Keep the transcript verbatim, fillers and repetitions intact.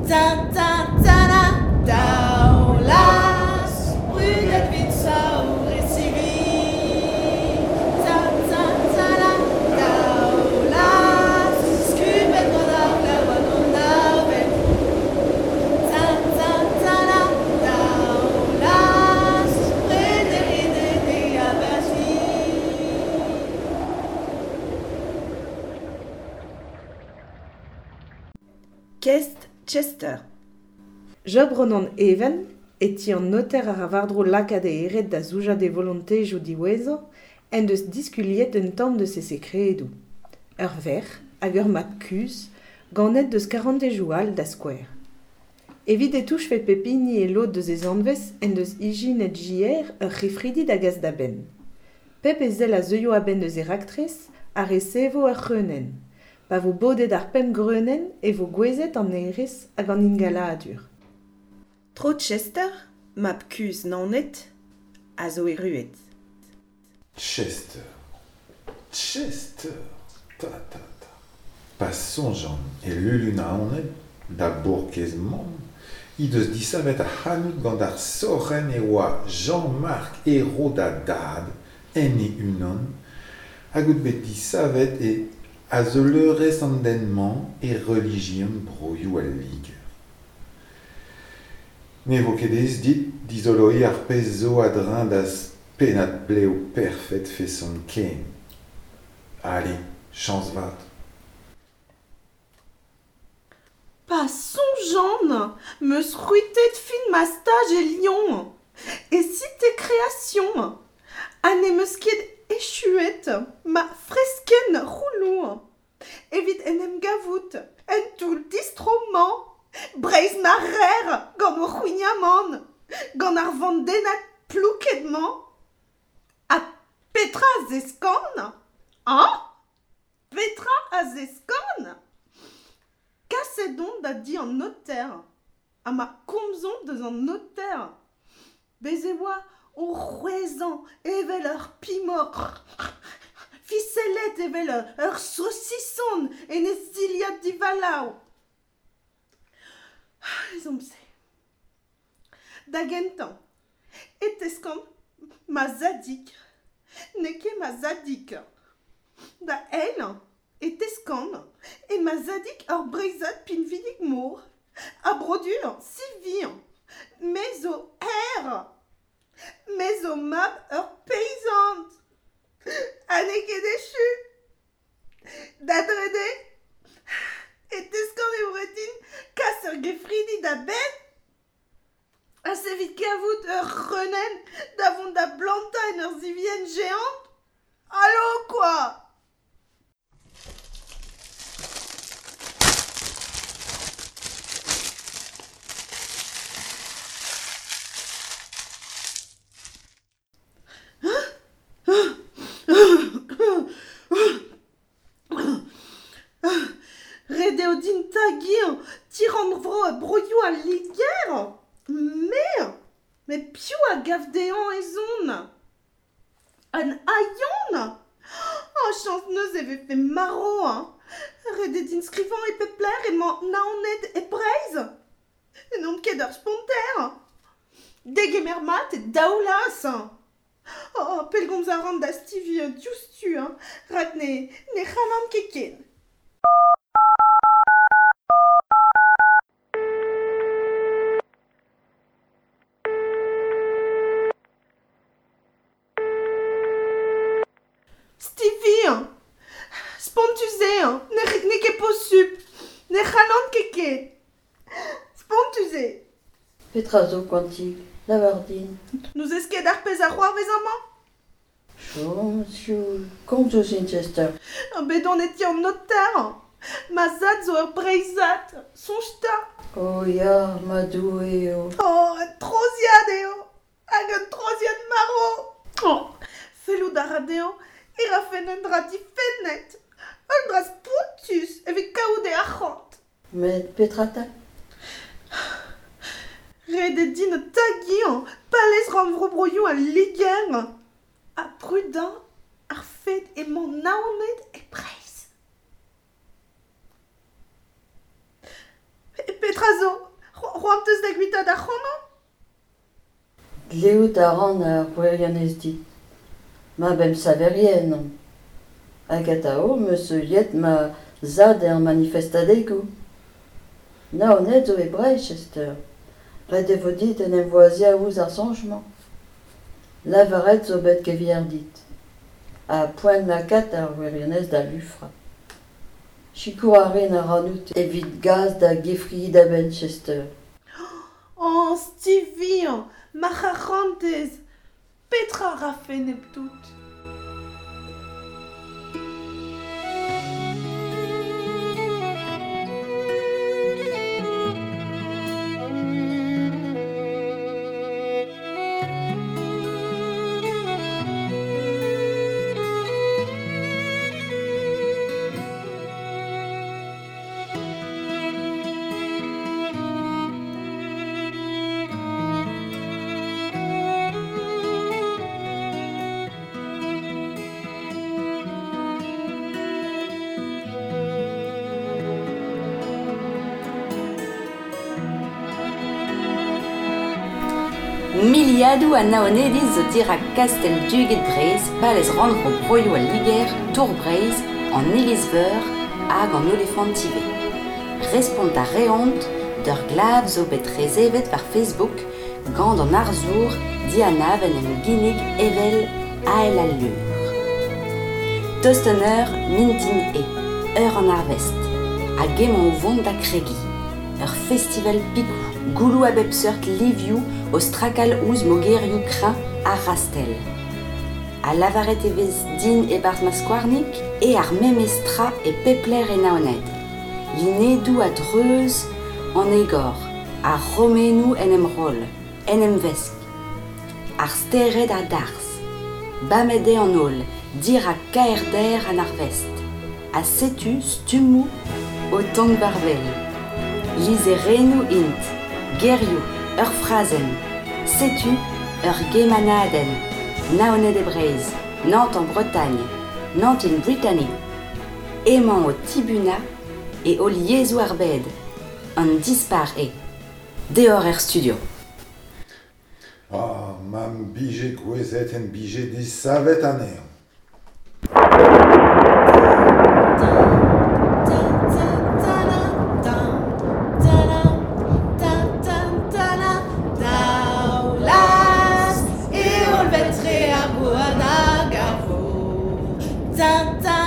Ta ta ta la Daoulas Brudet vit saour e sivi Ta ta ta la Daoulas Skubet gant ar glav hag an avel Ta ta ta la Daoulas Prederinet e aberzi. Kest Chester. Job Ronan Even, e ti an noter ar a-war-dro lakaat e eret da zoujañ d'e volontezioù diwezhañ, en deus diskuliet un tamm deus e sekredoù. Ur verc'h hag ur mab kuzh, ganet deus karantezioù all da skouer. Evit e touchfe pep hini e lod deus e zanvez en deus ijinet J R ur c'hefridi da gas da benn. Pep ezel a zeuio a-benn eus e raktres a resevo ur c'hreunenn. Pa vo bodet ar pemp greunenn e vo gouezet an hêrezh hag an ingaladur. Tro Chester, mab kuzh Naoned, a zo erruet. Chester. Chester. Ta ta ta. Pa soñjan e Lulu Naoned, da bourkez mamm, he deus disavet ar c'hanout gant ar sorc'henn e oa Jean-Marc Ayrault da dad, en e unan, hag out bet disavet e azeulerezh an den-mañ e relijion broioù al Liger. Ne vo ket aes dit dizoloiñ ar pezh zo a-dreñv da'z pennad blev perfet feson ken. Allez, chañs vat. Pa soñjan, 'm eus c'hwitet fin ma staj e Lyon, e Cité Création, ha ne'm eus ket echuet ma freskenn c'houloù evit en em gavout en toull distro-mañ, Breizh ma rer gant o c'houignamant, gant ar vandennad plouked-mañ. Ha petra a zeskan ? Hañ ? Petra a zeskan ? Kaset on da di an noter, ha ma komzomp deus an noter. Bez' e oa o c'hwezhañ evel ur pimoc'h, fiselet evel ur saosison en e zilhad divalav. Ezhomm-se. Da gentañ, e teskan ma zadig, n'eo ket ma zadig. Da eil, e teskan e ma zadig ur Breizhad pinvidik-mor, a brodu sivi, me zo her, me zo mab ur peizant. Ha n'eo ket echu. Da drede, e teskan e vo ret din kas ur gefridi da benn ha evit kavout ur c'hreunenn da vont da blantañ en ur sivienn géant. Allo quoi ! Ret eo din tagiñ ti-rannvro broioù al Liger. Me ? Met piv a gav dezhañ ez on ? An hailhon ? Oh, chañs neuze e vefe marv hein ! Ret eo din skrivañ e pep lec'h emañ Naoned e Breizh. N'on ket ur sponter. Degemer mat e Daoulaz. Oh, pellgomz a ran da Stevie diouzhtu hein, rak ne, ne c'hallan ket ken. Stevie, spontus eo, ne, n'eo ket posupl, ne c'hallan ket ken. Spontus eo. Petra zo koantik, lavar din. N'ouzez ket ar pezh a c'hoarvez amañ ? Chom, sioul, komz ouzhin Chester. Bet on e ti an noter. Ma zad zo ur Breizhad, soñj 'ta. Oh ya, ma Doue eo. Oh, un troziad eo, hag un troziad marv. Oh, fellout a ra dezhañ e rafen un dra difennet, un dra spontus evit kaout e arc'hant. Met petra 'ta ? Ret eo din tagiñ palez rannvro broioù al Liger ha brudañ ar fed emañ Naoned e Breizh. Petra Petra zo? C'hoant teus da guitaat ac'hanon? Dleout a ran ar gwirionez dit. Ma bemsaverien on. Hag atao 'm eus heuliet ma zad er manifestadegoù. Naoned zo e Breizh, Chester. Ret e vo dit en em voaziañ ouzh ar soñj-mañ. Lavaret zo bet gevier dit. Ha poent lakaat ar wirionez da lufrañ. Sikour a rin ac'hanout evit gas da gefridi da benn, Chester. Oh, Stevie, ma c'harantez, petra a rafen hepdout? Miliadoù a Naonediz zo dirak kastell Duged Breizh, palez rannvro Broioù al Liger, Tour Breizh, an Iliz-Veur hag an Olifant ivez. Respont a reont d'ur glav zo bet resevet war Facebook gant an arzour dianav en em ginnig evel Ael al Leur. Tost an eur mintin eo, eur an arvest, hag emañ o vont da kregiñ. Ur festival pikoù, gouloù a bep seurt livioù o strakal ouzh mogerioù kreñv ar rastell. Ha lavaret e vez din e-barzh ma skouarnig eo ar memes tra e pep lec'h e Naoned. Lunedoù a-dreuz an egor, ar romennoù en em roll, en em vesk. Ar stered a darzh. Bamet eo an holl, dirak kaerder an arvest. Ha setu stummoù o tont war wel. Lizherennoù int, gerioù, ur frazenn. Setu ur gemanadenn. Naoned e Breizh, Nantes en Bretagne, Nantes in Brittany. Emañ o tibunañ e holl yezhoù ar bed. An dispar eo. Deoc'h er studio. Ah, ma'm bije gouezet em bije desavet anezhañ. Daoulaz e holl vetre ar gouarn hag ar vor. Ta ta